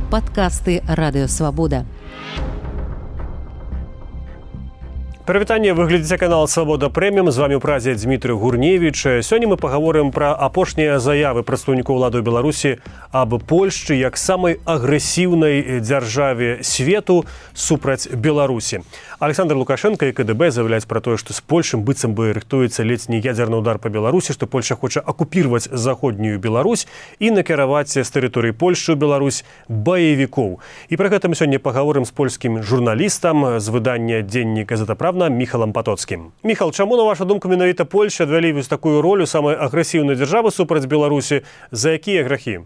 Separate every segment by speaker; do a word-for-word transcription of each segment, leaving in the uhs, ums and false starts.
Speaker 1: Падкасты Радыёвабода.
Speaker 2: Прывітанне, вы глядзіце канал «Свабода Прэміум». З вамі ў празе Дмітрый Гурневіч. Сёння мы пагаворым пра апошнія заявы прадстаўнікоў улады ў Беларусі аб Польшчы як самай агрэсіўнай дзяржаве свету супраць Беларусі. Александр Лукашенко і ка дэ бэ заявляюць пра тое, што з Польшым быццам бы рыхтуецца ледзь не ядзерны ўдар па Беларусі, што Польша хоча акупірваць заходнюю Беларусь і накіраваць з тэрыторыі Польшчы ў Беларусь баевікоў. І пра гэта мы сёння пагаворым з польскім журналістам з выдання «Дзеннік Газета Правда» Міхалам Патоцкім. Міхал, чаму, на вашу думку, менавіта Польша адвялі вось такую ролю самай агрэсіўнай дзяржавы супраць Беларусі? За якія грахі?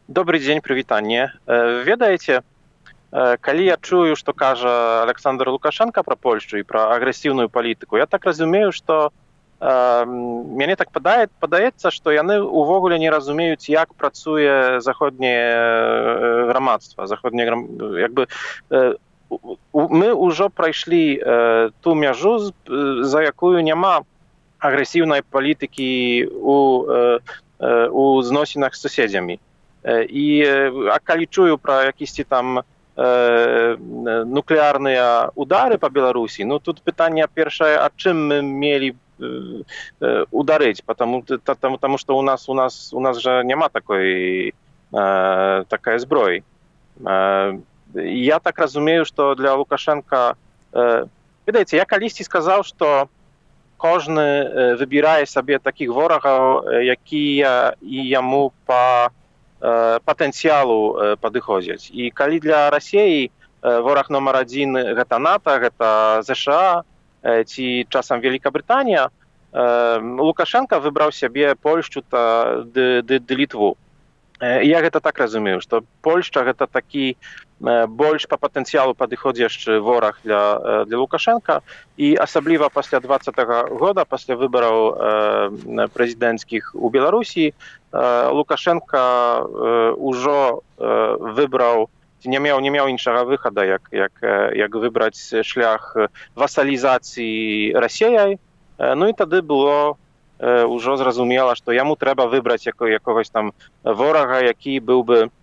Speaker 3: Добрый дзень, прывітанне. Ведаеце, калі я чую, што кажа Александр Лукашенко пра Польшчу і пра агрэсіўную палітыку, я так разумею, што э, мяне так падае, падаецца, што яны ўвогуле не разумеюць, як працуе заходняе грамадства, заходняе грам... як бы э, мы ўжо прайшлі э, ту мяжу, за якую няма агрэсіўнай палітыкі у, э, у зносінах з суседзямі. І а калі чую пра якісьці там э, нуклеарныя удары па Беларусі, ну тут пытанне першае, а чым мы мелі э, ударыць, потому, тому, тому што у нас у нас у нас жа няма такой э, такая зброі. Э, Я так разумею, што для Лукашенка... Э, ведаеце, я калісьці сказаў, што кожны э, выбірае сабе такіх ворагаў, э, якія і яму па э, патэнцыялу э, падыходзяць. І калі для Расіі э, вораг номер адзін гэта НАТО, гэта ЗША э, ці часам Великабрытанія, э, Лукашенка выбраў сябе Польшчу та ды, ды, ды Літву. Я гэта так разумею, што Польшча гэта такі больш па патэнцыялу падыходзячы вораг для, для Лукашенка, і асабліва пасля двадцатага года, пасля выбараў э, прэзідэнцкіх у Беларусі, э, Лукашенка э, ўжо э, выбраў, не меў, не меў іншага выхада, як, як, як выбраць шлях васалізацыі Расіяй. Э, ну і тады было ўжо зразумела, што яму трэба выбраць якогось там ворага, які быў бы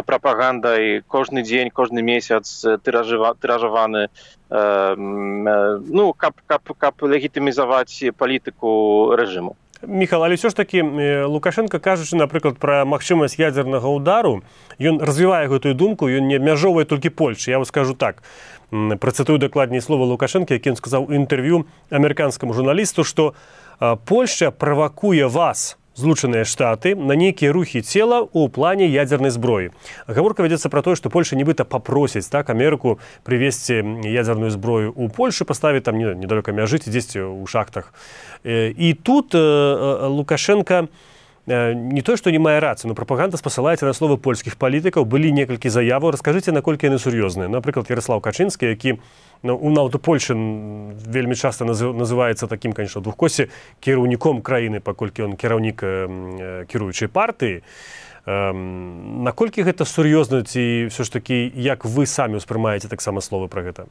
Speaker 3: прапагандай кожны дзень, кожны месяц тыражаваны, ну, каб, каб, каб легітымізаваць палітыку рэжыму.
Speaker 2: Міхал, але ўсё ж такі Лукашенко, кажучы, напрыклад, пра магчымасць ядзернага ўдару, ён развівае гэтую думку, ён не абмяжоўвае толькі Польшчы. Я вам скажу так, працытую дакладней слова Лукашенка, які ён сказаў у інтэрв'ю амерыканскаму журналісту, што Польшча правакуе вас, Злучаныя Штаты, на нейкія рухі цела ў плане ядзернай зброі. Гаворка вядзецца пра тое, што Польша нібыта папросіць так Амерыку прывезці ядзерную зброю ў Польшу, паставіць там недалёка мяжы ці дзесьці ў шахтах. І тут Лукашенко не то, што не мае рацыю, но прапаганда спасылаецца на словы польскіх палітыкаў. Былі некалькі заяваў. Раскажыце, наколькі яны сур'ёзныя. Напрыклад, Ярослав Качынскі, які ну, у нават у Польшы вельмі часта называецца такім, конечно, двухкосці кіраўніком краіны, паколькі ён кіраўнік кіруючай партыі. Наколькі гэта сур'ёзна, ці ўсё ж такі, як вы самі ўспрымаеце таксама словы пра гэта?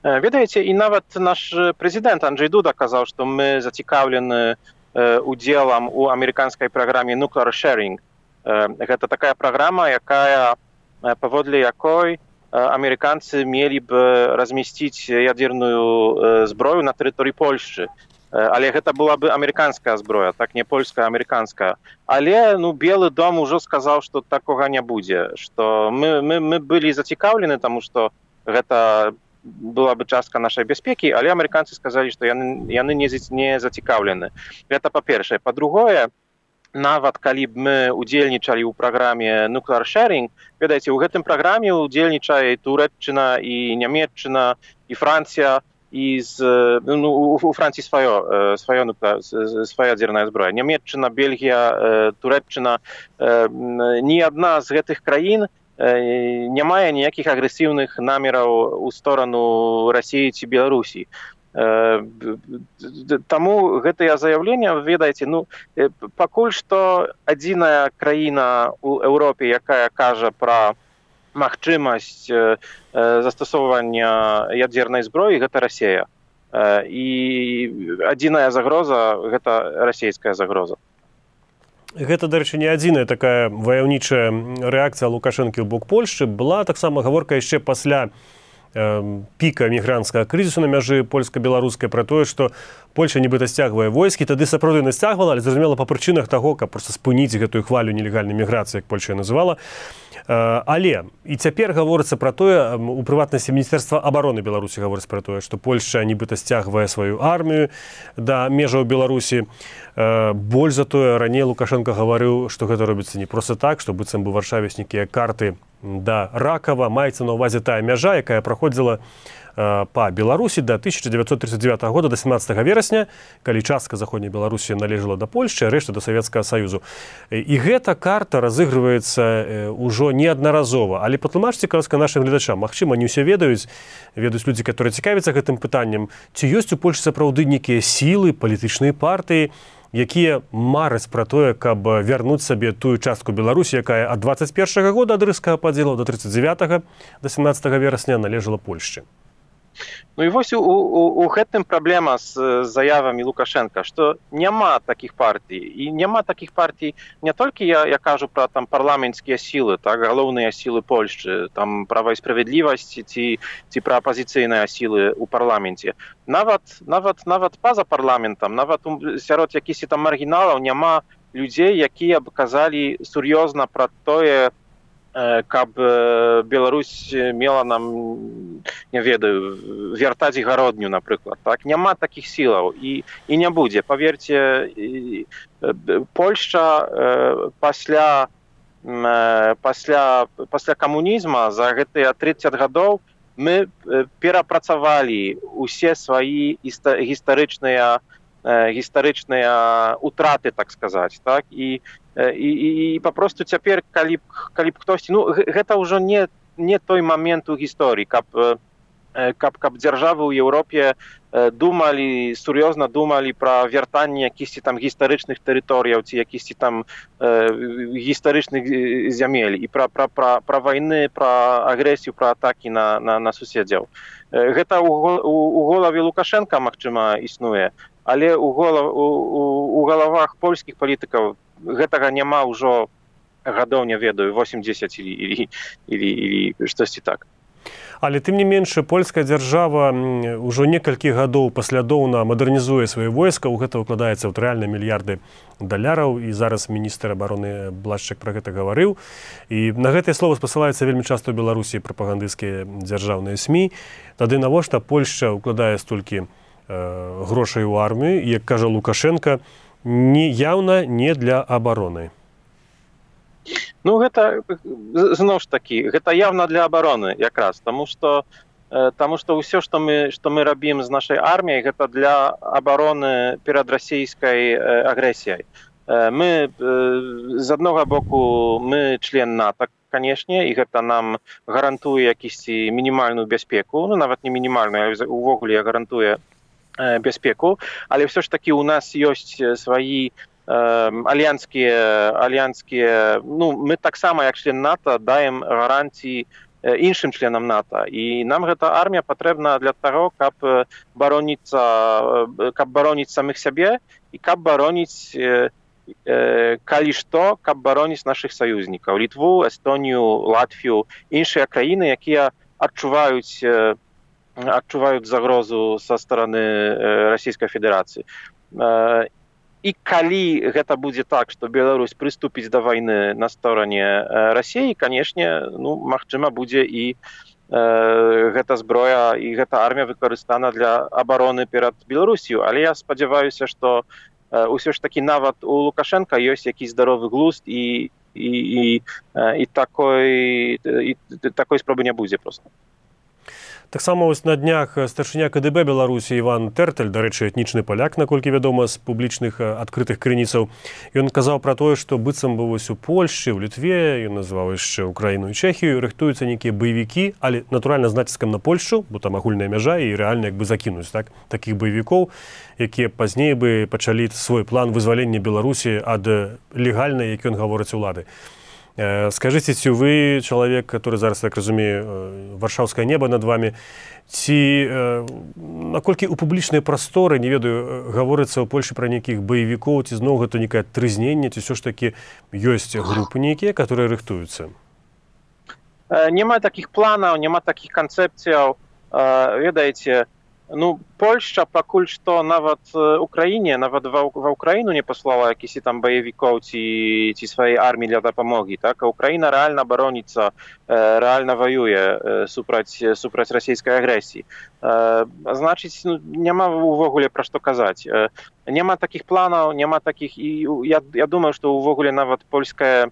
Speaker 3: Ведаеце, і нават наш прэзідэнт Анджэй Дуда казаў, што мы зацікаўлены удзелам у амерыканскай праграме Nuclear Sharing. Гэта такая праграма, якая, паводле якой амерыканцы мелі б размясціць ядзерную зброю на тэрыторыі Польшчы. Але гэта была бы амерыканская зброя, так не польская, амерыканская. Але ну, Белы дом ужо сказаў, што такога не будзе, што мы, мы, мы былі зацікаўлены, таму што гэта была бы частка нашай бяспекі, але амерыканцы сказалі, што яны, яны не, не зацікаўлены. Гэта па-першае. Па-другое, нават калі б мы удзельнічалі ў праграме Nuclear Sharing, ведаеце, у гэтым праграме удзельнічае і Турэччына, і Нямецчына, і Францыя, і з, ну, у Франції сваё, сваё, свая ядзерная зброя. Нямецчына, Бельгія, Турэччына, ні адна з гэтых краін не мае ніякіх агрэсіўных намераў у сторону Расіі ці Беларусі. Таму гэтае заяўленне, ведаеце, ну, пакуль што адзіная краіна ў Еўропе, якая кажа пра магчымасць застасоўвання ядзернай зброі, гэта Расія. І адзіная загроза – гэта расійская загроза.
Speaker 2: гэта, дарэчы, не адзіная такая ваяўнічая рэакцыя Лукашэнкі ў бок Польшчы. Была таксама гаворка яшчэ пасля э, піка мігранцкага крызісу на мяжы польска-беларускай пра тое, што Польша нібыта сцягвае войскі, тады сапраўды насцягвала, але зразумела па прычынах таго, каб проста спыніць гэтую хвалю нелегальнай міграцыі, як Польша называла. Але і цяпер гаворыцца пра тое, у прыватнасці міністэрства абароны Беларусі гаворыцца пра тое, што Польшча нібыта сцягвае сваю армію да межаў Беларусі. Больш за тое, раней Лукашенко гаварыў, што гэта робіцца не проста так, што быццам бы Варшаве нейкія карты да Ракава, маецца на ўвазе тая мяжа, якая праходзіла па Беларусі да тысяча дзевяцьсот тридцать девятого года, да семнадцатага верасня, калі частка заходняй Беларусі належала да Польшчы, а рэшта да Савецкага Саюзу. І гэта карта разыгрываецца ўжо неаднаразова. Але патлумачце, ласка, нашым гледачам, магчыма, не ўсе ведаюць, ведаюць людзі, которые цікавяцца гэтым пытаннем, ці ёсць у Польшчы сапраўды нейкія сілы, палітычныя партыі, якія мараць пра тое, каб вярнуць сабе тую частку Беларусі, якая ад двадцать першага года ад рыжскага падзелу да тридцать девятого, да семнадцатага верасня належала Польшчы.
Speaker 3: Ну і вось у, у, у гэтым праблема з заявамі Лукашенка, што няма такіх партый. І няма такіх партый не толькі я, я кажу пра там парламенцкія сілы, так, галоўныя сілы Польшчы, там права і справядлівасць ці, ці пра апазіцыйныя сілы ў парламенце. Нават, нават, нават па-за парламентам, нават сярод якісьці там маргіналаў няма людзей, якія б казалі сур'ёзна пра тое, каб Беларусь мела нам, не ведаю, вяртаць гародню, напрыклад. Так? Няма такіх сілаў і, і не будзе. Паверце, Польшча пасля, пасля, пасля камунізма за гэтыя тридцать гадоў мы перапрацавалі усе свае гістарычныя гістарычныя утраты, так сказаць. Так? І І, і, і папросту цяпер, калі б, калі б хтосьці... Ну, гэта ўжо не, не той момент у гісторыі, каб, каб, каб дзяржавы ў Еўропе думалі, сур'ёзна думалі пра вяртанне якісьці там гістарычных тэрыторыяў ці якісьці там э, гістарычных зямель і пра, пра, пра, пра вайны, пра агрэсію, пра атакі на, на, на суседзяў. Гэта ў, у, у голове Лукашенка, магчыма, існуе, але ў, голов, у, у, у галавах польскіх палітыкаў гэтага няма ўжо гадоў, не ведаю, восемьдесят или, или, или, или штосьці так.
Speaker 2: Але тым не менш, польская дзяржава ўжо некалькі гадоў паслядоўна мадэрнізуе свае войска, у гэта ўкладаецца ў рэальныя мільярды даляраў, і зараз міністр абароны Блашчак пра гэта гаварыў. І на гэтае слова спасылаюцца вельмі часта ў Беларусі прапагандысцкія дзяржаўныя СМІ. Тады навошта Польшча ўкладае столькі э, грошай у армію, і, як кажа Лукашенка, не яўна не для абароны.
Speaker 3: Ну, гэта, зноў ж такі, гэта явна для абароны якраз, таму што, таму што ўсё, што мы, што мы рабім з нашай арміяй, гэта для абароны перад расійскай агрэсіяй. Мы, з аднога боку, мы член НАТО, канешне, і гэта нам гарантуе якісьці мінімальную бяспеку, ну, нават не мінімальную, але увогуле гарантуе бяспеку, але ўсё ж такі у нас ёсць свае альянскія, альянскія, ну, мы таксама, як член НАТО, даем гарантіі іншым членам НАТО. І нам гэта армія патрэбна для таго, каб бароніцца, каб бароніць самых сябе і каб бароніць, калі што, каб бароніць нашых саюзнікаў. Літву, Эстонію, Латвію, іншыя краіны, якія адчуваюць адчуваюць загрозу са стороны Расійскай Федэрацыі. І калі гэта будзе так, што Беларусь прыступіць да вайны на стороне Расіі, канешне, ну, магчыма, будзе і э, гэта зброя, і гэта армія выкарыстана для абароны перад Беларусію. Але я спадзяваюся, што э, ўсё ж такі нават у Лукашенка ёсць якісь здаровы глузд, і, і, і, і, такой, і такой спробы не будзе проста.
Speaker 2: Таксама вось на днях старшыня КДБ Беларусі Іван Тэртэль, дарэчы, этнічны паляк, наколькі вядома, з публічных адкрытых крыніцаў, ён казаў пра тое, што быццам бы вось у Польшчы, у Літве, ён называў яшчэ Украіну і Чэхію, рыхтуюцца нейкія баевікі, але натуральна з націскам на Польшчу, бо там агульная мяжа, і рэальна як бы закінуць, так, такіх баевікоў, якія пазней бы пачалі свой план вызвалення Беларусі ад легальнай, як ён гаворыць, улады. Скажите, ці вы чалавек, который зараз, так разумею, варшаўскае неба над вами, ці наколькі ў публічнай прасторы, не ведаю, гаворыцца ў Польшы пра нейкіх баевікоў, ці зноў гэта некае трызненне, ці ўсё ж такі ёсць групы нейкія, которые рыхтуюцца?
Speaker 3: Няма такіх планаў, няма такіх канцэпцыяў. Ведаеце, ну, Польшча пакуль што нават Украіне, нават ва, ва Украіну не паслала якісь там баевікоў ці, ці сваёй арміі для дапамогі, так? А Украіна рэальна бароніцца, рэальна ваюе супраць, супраць расійскай агрэсіі. Значыць, ну, няма увогуле пра што казаць. Няма такіх планаў, няма такіх, і я, я думаю, што увогуле нават польскае,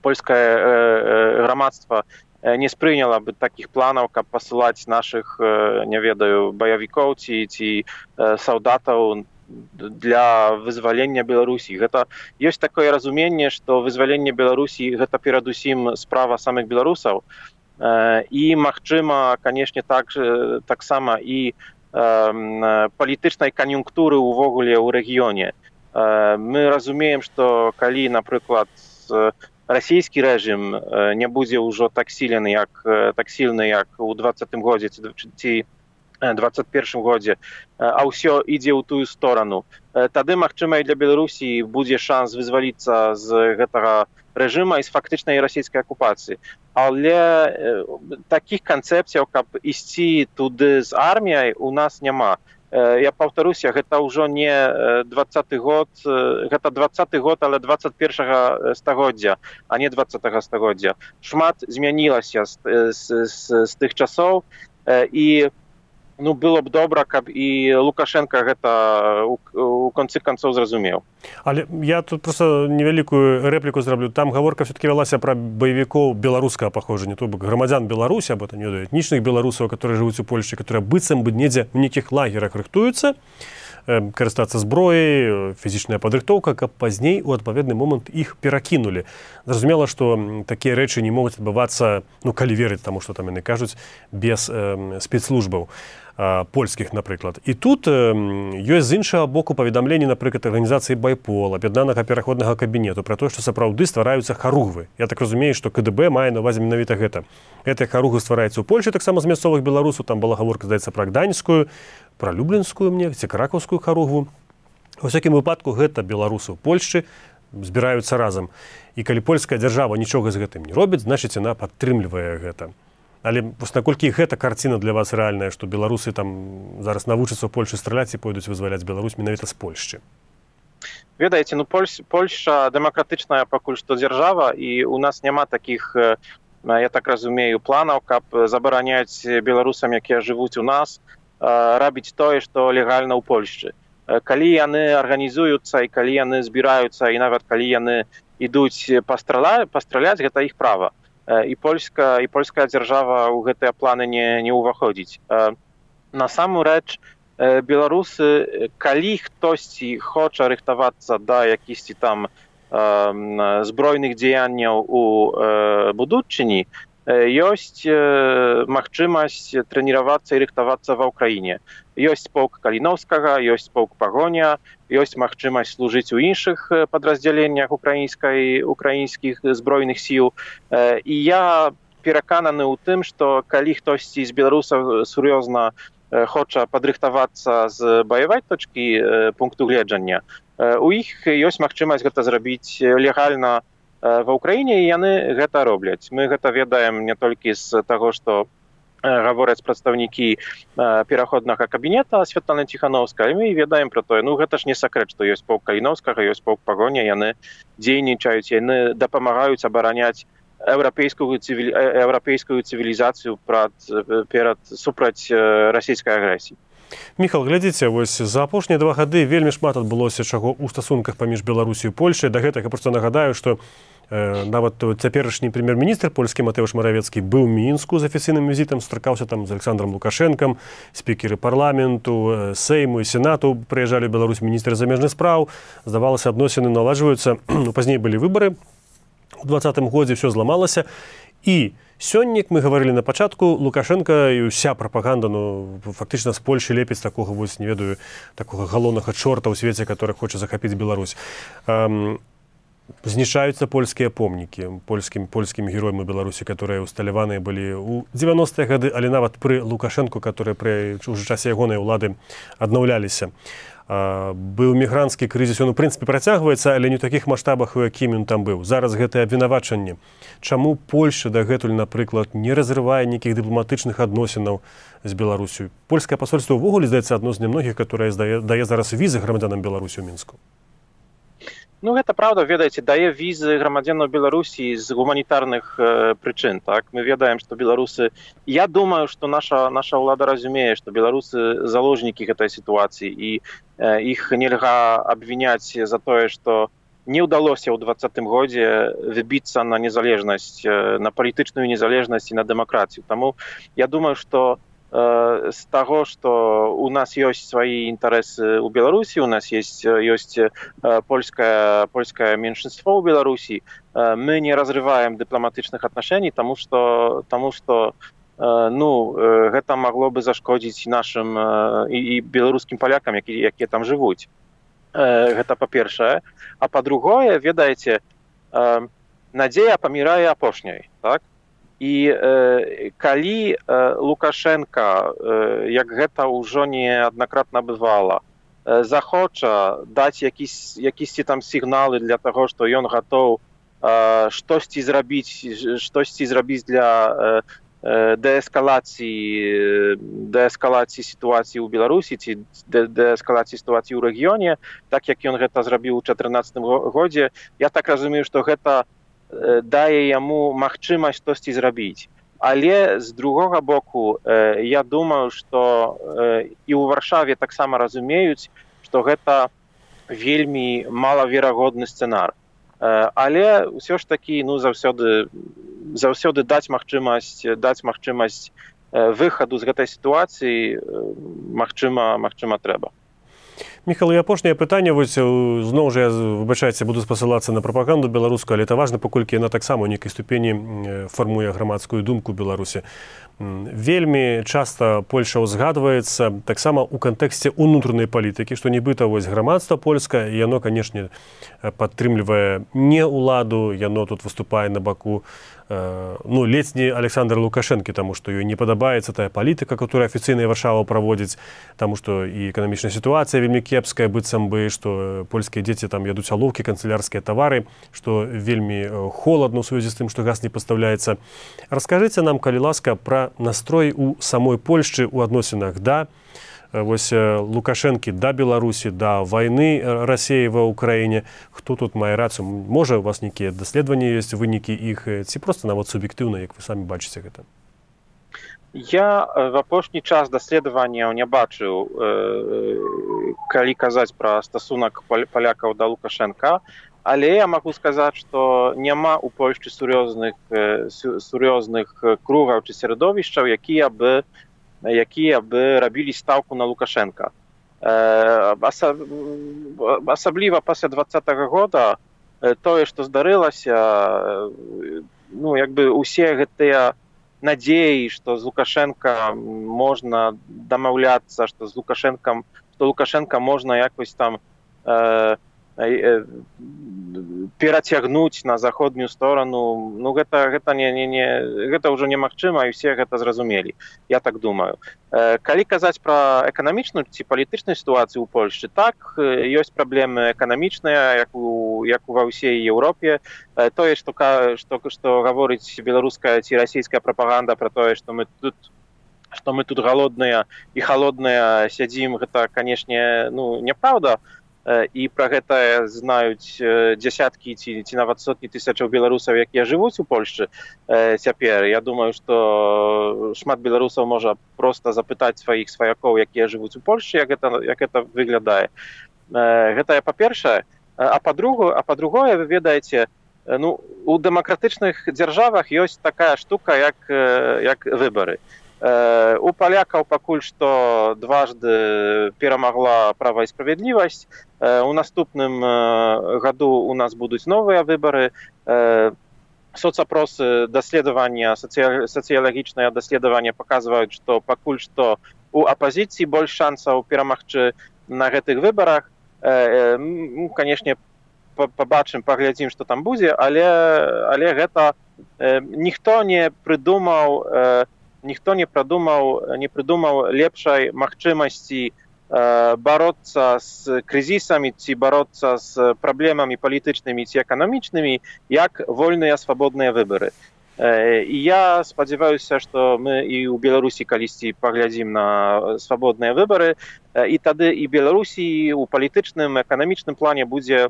Speaker 3: польскае грамадства не спрыняла бы такіх планаў, каб пасылаць нашых, не ведаю, баявікоў ці, ці салдатаў для вызвалення Беларусі. Гэта ёсць такое разуменне, што вызваленне Беларусі гэта перадусім справа самых беларусаў. І, магчыма, канешне, так, таксама і палітычнай кан'юнктуры ўвогуле ў рэгіёне. Мы разумеем, што калі, напрыклад, расійскі рэжым не будзе ўжо так сильны, як, так сильны, як у двадцатым годзе ці двадцать першым годзе, а ўсё ідзе ў тую сторону. Тады, магчыма, і для Беларусі будзе шанс вызваліцца з гэтага рэжыма і з фактычнай расійскай акупацыі. Але такіх канцэпцыяў, каб ісці туды з арміяй, у нас няма. Я паўтаруся, гэта ўжо не двадцаты год, гэта двадцаты год, але двадцать першага стагоддзя, а не двадцатага стагоддзя. Шмат змянілася з, з, з, з тых часоў, і ну, было б добра, каб і Лукашенко гэта у, у концы канцоў зразумеў.
Speaker 2: Але я тут просто невялікую рэпліку зраблю. Там гаворка все-таки вялася пра баевікоў беларускага паходжання, то бок грамадзян Беларусі, або там, не ведаю, этнічных беларусаў, которые жывуць у Польшчы, которые быццам бы недзе ў нейкіх лагерах рыхтуюцца, карыстацца зброяй, фізічная падрыхтоўка, каб пазней у адпаведны момант іх перакінулі. Зразумела, што такія рэчы не могуць адбывацца, ну, калі верыць таму, што там яны кажуць, без э, спецслужбаў польскіх, напрыклад. І тут э, ёсць з іншага боку паведамленні, напрыклад, арганізацыі Байпол, аб'яднанага пераходнага кабінету, пра тое, што сапраўды ствараюцца харугвы. Я так разумею, што КДБ мае на ўвазе менавіта гэта. Гэтыя харугвы ствараюцца ў Польшчы, таксама з мясцовых беларусаў, там была гаворка, здаецца, пра гданьскую, пра люблінскую мне, ці кракаўскую харугву. У всякім выпадку гэта беларусы ў Польшчы збіраюцца разам. І калі польская дзяржава нічога з гэтым не робіць, значыць, яна падтрымлівае гэта. Але наколькі гэта карціна для вас рэальная, што беларусы там зараз навучацца ў Польшы страляць і пойдуць вызваляць Беларусь менавіта з Польшчы?
Speaker 3: Ведаеце, ну, Польш, Польшча дэмакратычная пакуль што дзяржава, і у нас няма такіх, я так разумею, планаў, каб забараняць беларусам, якія жывуць у нас, рабіць тое, што легальна ў Польшчы. Калі яны арганізуюцца і калі яны збіраюцца, і нават калі яны ідуць пастраляць, пастраляць, гэта іх права. І польска, і польская дзяржава ў гэтыя планы не, не ўваходзіць. Насамрэч, беларусы, калі хтосьці хоча рыхтавацца да якісьці там збройных дзеянняў у будучыні, ёсць магчымасць трэніравацца і рыхтавацца ва ўкраіне. Ёсць полк Каліноўскага, ёсць полк Пагоня, ёсць магчымасць служыць у іншых падраздзяленнях украінскай, украінскіх збройных сіл. І я перакананы ў тым, што калі хтосьці з беларусаў сур'ёзна хоча падрыхтавацца з баявой точкі пункту гледжання, у іх ёсць магчымасць гэта зрабіць легальна ва ўкраіне, і яны гэта робляць. Мы гэта ведаем не толькі з таго, што гавораць прадстаўнікі пераходнага кабінета Святланы Ціхановскай, мы ведаем пра тое, ну гэта ж не сакрэт, што ёсць полк Каліноўскага, ёсць полк Пагоня, яны дзейнічаюць, яны дапамагаюць абараняць еўрапейскую цывілі... еўрапейскую цывілізацыю прад, перад супраць расійскай агрэсіі.
Speaker 2: Міхал, глядзіце, вось за апошнія два гады вельмі шмат адбылося чаго ў стасунках паміж Беларусі і Польшай. Да гэтага проста нагадаю, што э, нават цяперашні прэм'ер-міністр польскі Матэўш Маравецкі быў у Мінску з афіцыйным візітам, сустракаўся там з Александром Лукашэнкам, спікеры парламенту, Сейму і Сенату прыязджалі ў Беларусь, міністры замежных спраў. Здавалася, адносіны наладжваюцца. Ну, пазней былі выбары. У двадцатым годзе ўсё зламалася. І сёння, мы гаварылі на пачатку, Лукашенко і ўся прапаганда, ну, фактычна з Польшы лепіць такога, вось, не ведаю, такога галоўнага чорта ў свеце, который хоча захапіць Беларусь. Эм, знішчаюцца польскія помнікі польскім польскім героям у Беларусі, которые усталяваныя былі ў дзевяностыя гады, але нават пры Лукашэнку, которые пры уже часе ягонай улады аднаўляліся. Быў мігранцкі крызіс, ён у прынцыпе працягваецца, але не ў такіх маштабах, у якім ён там быў. Зараз гэтае абвінавачанне. Чаму Польшча дагэтуль, напрыклад, не разрывае нейкіх дыпламатычных адносінаў з Беларусю? Польскае пасольства ўвогуле, здаецца, адно з нямногіх, которое дае, дае зараз візы грамадзянам Беларусі ў Мінску.
Speaker 3: Ну, гэта правда, ведаеце, дае візы грамадзянам Беларусі з гуманітарных э, прычын, так? Мы ведаем, што беларусы... Я думаю, што наша, наша ўлада разумее, што беларусы заложнікі гэтай сітуацыі, і э, іх нельга абвіняць за тое, што не ўдалося ў двадцатым годзе выбіцца на незалежнасць, э, на палітычную незалежнасць і на дэмакратыю. Таму я думаю, што з таго, што у нас ёсць свае інтарэсы ў Беларусі, у нас есть, ёсць польскае, польскае меншинство ў Беларусі, мы не разрываем дыпламатычных аднашэній, таму што, таму што ну, гэта магло бы зашкодзіць нашым і, і беларускім палякам, якія, якія там жывуць. Гэта па-першае. А па-другое, ведаеце, надзея памірае апошняй, так? І э, калі э, Лукашенка, э, як гэта ўжо неаднакратна бывала, э, захоча даць якісь, якісьці там сігналы для таго, што ён гатоў э, штосьці зрабіць, штосьці зрабіць для э, дээскалацыі, дээскалацыі сітуацыі ў Беларусі ці дээскалацыі сітуацыі ў рэгіёне, так як ён гэта зрабіў у чатырнаццатым годзе, я так разумею, што гэта дае яму магчымасць штосьці зрабіць. Але з другога боку, я думаю, што і ў Варшаве таксама разумеюць, што гэта вельмі малаверагодны сцэнар. Але ўсё ж такі, ну, заўсёды, заўсёды даць магчымасць, даць магчымасць выхаду з гэтай сітуацыі, магчыма, магчыма трэба.
Speaker 2: Міхал, і апошняе пытанне, вось зноў жа я, выбачайце, буду спасылацца на прапаганду беларускую, але это важна, паколькі яна таксама ў нейкай ступені фармуе грамадскую думку Беларусі. Вельмі часта Польша ўзгадваецца таксама ў кантэксце ўнутранай палітыкі, што нібыта вось грамадства польскае, яно, канешне, падтрымлівае не ўладу, яно тут выступае на баку, ну, ледзь не Александра Лукашэнкі, таму што ёй не падабаецца тая палітыка, которая афіцыйная Варшава праводзіць, таму што і эканамічная сітуацыя вельмі кепская, быццам бы, што польскія дзеці там ядуць алоўкі, канцылярскія тавары, што вельмі холадна ў сувязі з тым, што газ не пастаўляецца. Раскажыце нам, калі ласка, пра настрой у самой Польшчы ў адносінах да вось Лукашэнкі, да Беларусі, да вайны Расіі ва Ўкраіне. Хто тут мае рацыю? Можа, у вас нейкія даследаванні ёсць, вынікі іх, ці проста нават суб'ектыўна, як вы самі бачыце гэта?
Speaker 3: Я в апошні час даследаванняў не бачыў, калі казаць пра стасунак палякаў да Лукашэнка, але я магу сказаць, што няма ў Польшчы сур'ёзных, сур'ёзных кругаў ці сярэдовішчаў, якія бы якія бы рабілі стаўку на Лукашэнка. Асабліва пасля двадцатага года тое, што здарылася, ну, як бы усе гэтыя надзеі, што з Лукашэнка можна дамаўляцца, што з Лукашэнкам, што Лукашэнка можна якось там э, э, перацягнуць на заходнюю сторону, ну гэта, гэта, не, не, не, гэта ўжо немагчыма, і все гэта зразумелі, я так думаю. Калі казаць пра эканамічную ці палітычную сітуацыю ў Польшчы, так, ёсць праблемы эканамічныя, як у, як ва ўсей Еўропе. Тое, што, што, што гаворыць беларуская ці расійская прапаганда пра тое, што мы тут што мы тут галодныя і халодныя сядзім, гэта, канешне, ну, няправда. І пра гэта знаюць дзясяткі ці, ці нават сотні тысячаў беларусаў, якія жывуць у Польшчы цяпер. Я думаю, што шмат беларусаў можа проста запытаць сваіх сваякоў, якія жывуць у Польшчы, як гэта, як гэта выглядае. Гэта па-першае. А па-другое, а па-другое, вы ведаеце, ну, у дэмакратычных дзяржавах ёсць такая штука, як, як выбары. У палякаў пакуль што дважды перамагла права і справядлівасць. У наступным году у нас будуць новыя выбары. Соцапросы, даследавання, сацыялагічныя даследавання паказваюць, што пакуль што у апазіцыі больш шансаў перамагчы на гэтых выбарах. Ну, канешне, пабачым, паглядзім, што там будзе, але, але гэта ніхто не прыдумаў, ніхто не прыдумаў, не прыдумаў лепшай магчымасці бароцца з крызісамі ці бароцца з праблемамі палітычнымі ці эканамічнымі, як вольныя свабодныя выбары. І я спадзяваюся, што мы і ў Беларусі калісьці паглядзім на свабодныя выбары, і тады і Беларусі у палітычным, эканамічным плане будзе,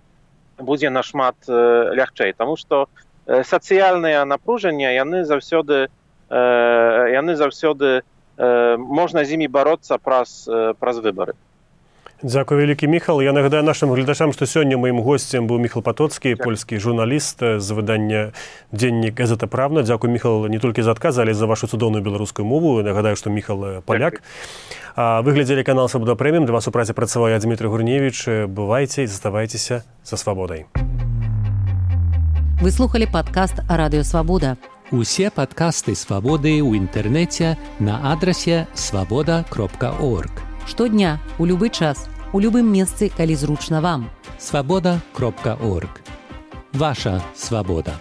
Speaker 3: будзе нашмат лягчэй, таму што сацыяльныя напружання, яны заўсёды, яны заўсёды можна з імі бароцца праз, праз выбары.
Speaker 2: Дзякуй вялікі, Міхал. Я нагадаю нашым гледачам, што сёння маім госцем быў Міхал Патоцкі, польскі журналіст з выдання «Дзеннік Газета Правна». Дзякуй, Міхал, не толькі за адказ, але за вашу цудоўную беларускую мову. Нагадаю, што Міхал паляк. Вы глядзелі канал «Свабода Прэміум». Для вас у працы працаваў я, Дмітрый Гурневіч. Бывайце і заставайцеся за свабодай.
Speaker 1: Вы слухали падкаст «Радыё Свабода».
Speaker 4: Усе падкасты «Свабоды» ў інтэрнэце на адрасе свабода кропка орг.
Speaker 1: Штодня, у любы час, у любым месцы, калі зручна вам.
Speaker 4: свабода кропка орг. Ваша свабода.